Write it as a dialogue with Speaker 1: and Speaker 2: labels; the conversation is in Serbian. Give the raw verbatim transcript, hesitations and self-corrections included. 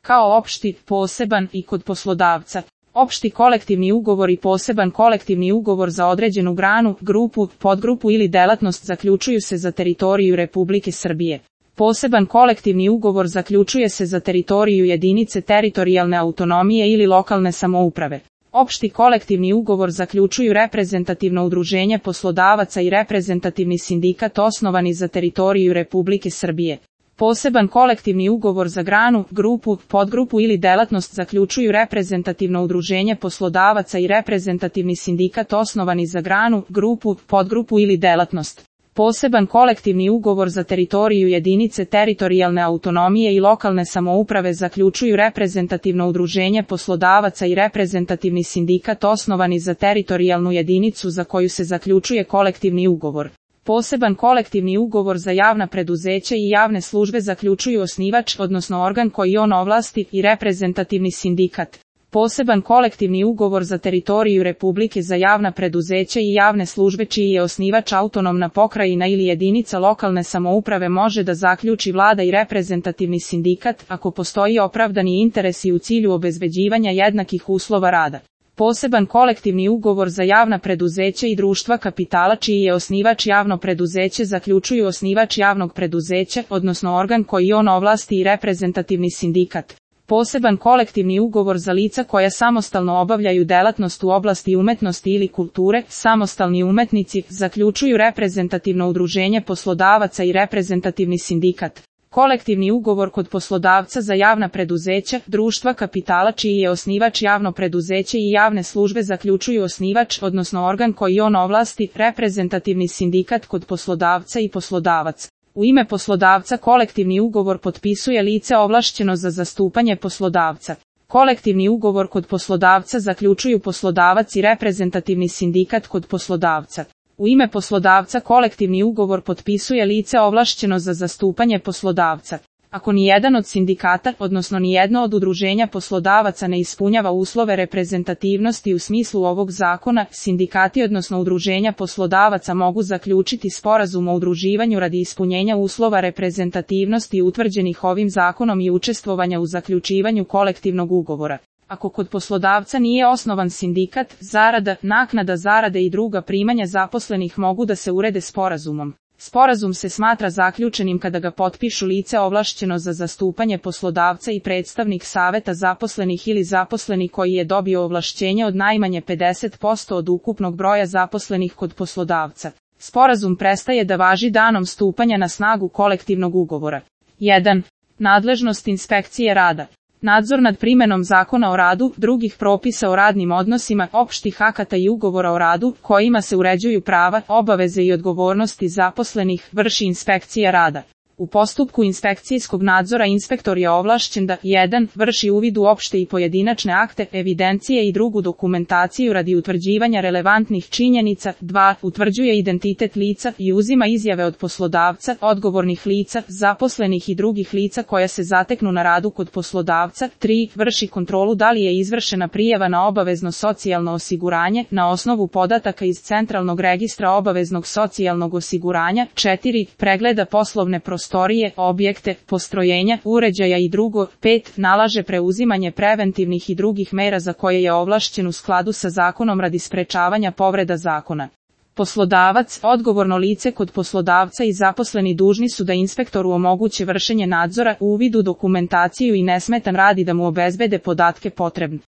Speaker 1: kao opšti, poseban i kod poslodavca. Opšti kolektivni ugovor i poseban kolektivni ugovor za određenu granu, grupu, podgrupu ili delatnost zaključuju se za teritoriju Republike Srbije. Poseban kolektivni ugovor zaključuje se za teritoriju jedinice teritorijalne autonomije ili lokalne samouprave. Opšti kolektivni ugovor zaključuju reprezentativno udruženje poslodavaca i reprezentativni sindikat osnovani za teritoriju Republike Srbije. Poseban kolektivni ugovor za granu, grupu, podgrupu ili delatnost zaključuju reprezentativno udruženje poslodavaca i reprezentativni sindikat osnovani za granu, grupu, podgrupu ili delatnost. Poseban kolektivni ugovor za teritoriju jedinice teritorijalne autonomije i lokalne samouprave zaključuju reprezentativno udruženje poslodavaca i reprezentativni sindikat osnovani za teritorijalnu jedinicu za koju se zaključuje kolektivni ugovor. Poseban kolektivni ugovor za javna preduzeća i javne službe zaključuju osnivač, odnosno organ koji on ovlasti, i reprezentativni sindikat. Poseban kolektivni ugovor za teritoriju Republike za javna preduzeća i javne službe čiji je osnivač autonomna pokrajina ili jedinica lokalne samouprave može da zaključi vlada i reprezentativni sindikat ako postoji opravdani interesi u cilju obezbeđivanja jednakih uslova rada. Poseban kolektivni ugovor za javna preduzeća i društva kapitala čiji je osnivač javno preduzeće zaključuju osnivač javnog preduzeća, odnosno organ koji on ovlasti, i reprezentativni sindikat. Poseban kolektivni ugovor za lica koja samostalno obavljaju delatnost u oblasti umetnosti ili kulture, samostalni umetnici, zaključuju reprezentativno udruženje poslodavaca i reprezentativni sindikat. Kolektivni ugovor kod poslodavca za javna preduzeća, društva kapitala čiji je osnivač javno preduzeće i javne službe zaključuju osnivač, odnosno organ koji on ovlasti, reprezentativni sindikat kod poslodavca i poslodavac. U ime poslodavca kolektivni ugovor potpisuje lice ovlašćeno za zastupanje poslodavca. Kolektivni ugovor kod poslodavca zaključuju poslodavac i reprezentativni sindikat kod poslodavca. U ime poslodavca kolektivni ugovor potpisuje lice ovlašćeno za zastupanje poslodavca. Ako ni jedan od sindikata, odnosno ni jedno od udruženja poslodavaca ne ispunjava uslove reprezentativnosti u smislu ovog zakona, sindikati odnosno udruženja poslodavaca mogu zaključiti sporazum o udruživanju radi ispunjenja uslova reprezentativnosti utvrđenih ovim zakonom i učestvovanja u zaključivanju kolektivnog ugovora. Ako kod poslodavca nije osnovan sindikat, zarada, naknada zarade i druga primanja zaposlenih mogu da se urede sporazumom. Sporazum se smatra zaključenim kada ga potpišu lice ovlašćeno za zastupanje poslodavca i predstavnik saveta zaposlenih ili zaposleni koji je dobio ovlašćenje od najmanje pedeset posto od ukupnog broja zaposlenih kod poslodavca. Sporazum prestaje da važi danom stupanja na snagu kolektivnog ugovora. jedan. Nadležnost inspekcije rada. Nadzor nad primenom Zakona o radu, drugih propisa o radnim odnosima, opštih akata i ugovora o radu, kojima se uređuju prava, obaveze i odgovornosti zaposlenih, vrši inspekcija rada. U postupku inspekcijskog nadzora inspektor je ovlašćen da jedan. Vrši uvid u opšte i pojedinačne akte, evidencije i drugu dokumentaciju radi utvrđivanja relevantnih činjenica, dva. Utvrđuje identitet lica i uzima izjave od poslodavca, odgovornih lica, zaposlenih i drugih lica koja se zateknu na radu kod poslodavca, tri. Vrši kontrolu da li je izvršena prijava na obavezno socijalno osiguranje na osnovu podataka iz Centralnog registra obaveznog socijalnog osiguranja, četiri. Pregleda poslovne prostorije, prostorije, objekte, postrojenja, uređaja i drugo, pet. Nalaže preuzimanje preventivnih i drugih mera za koje je ovlašćen u skladu sa zakonom radi sprečavanja povreda zakona. Poslodavac, odgovorno lice kod poslodavca i zaposleni dužni su da inspektoru omoguće vršenje nadzora, uvid u dokumentaciju i nesmetan rad i da mu obezbede podatke potrebne.